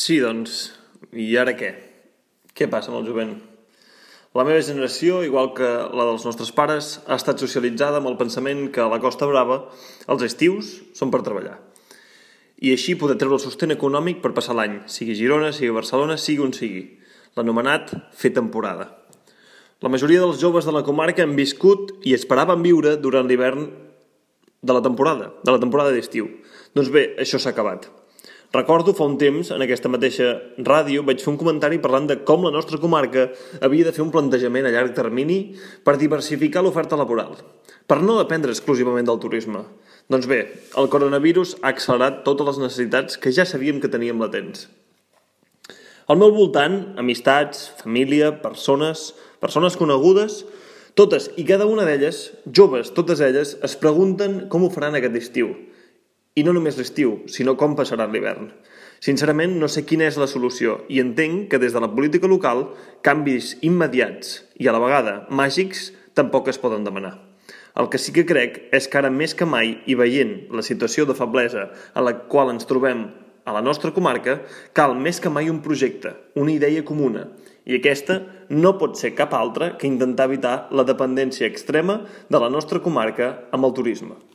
Sí, doncs, i ara què? Què passa amb el jovent? La meva generació, igual que la dels nostres pares, ha estat socialitzada amb el pensament que a la Costa Brava els estius són per treballar. I així poder treure el sostén econòmic per passar l'any, sigui a Girona, sigui a Barcelona, sigui on sigui. L'anomenat fer temporada. La majoria dels joves de la comarca han viscut i esperaven viure durant l'hivern de la temporada d'estiu. Doncs bé, això s'ha acabat. Recordo fa un temps, en aquesta mateixa ràdio, vaig fer un comentari parlant de com la nostra comarca havia de fer un plantejament a llarg termini per diversificar l'oferta laboral, per no dependre exclusivament del turisme. Doncs bé, el coronavirus ha accelerat totes les necessitats que ja sabíem que teníem latents. Al meu voltant, amistats, família, persones conegudes, totes i cada una d'elles, joves, totes elles, es pregunten com ho faran aquest estiu. I no només l'estiu, sinó com passaran l'hivern. Sincerament, no sé quina és la solució i entenc que des de la política local canvis immediats i a la vegada màgics tampoc es poden demanar. El que sí que crec és que ara més que mai i veient la situació de feblesa a la qual ens trobem a la nostra comarca, cal més que mai un projecte, una idea comuna, i aquesta no pot ser cap altra que intentar evitar la dependència extrema de la nostra comarca amb el turisme.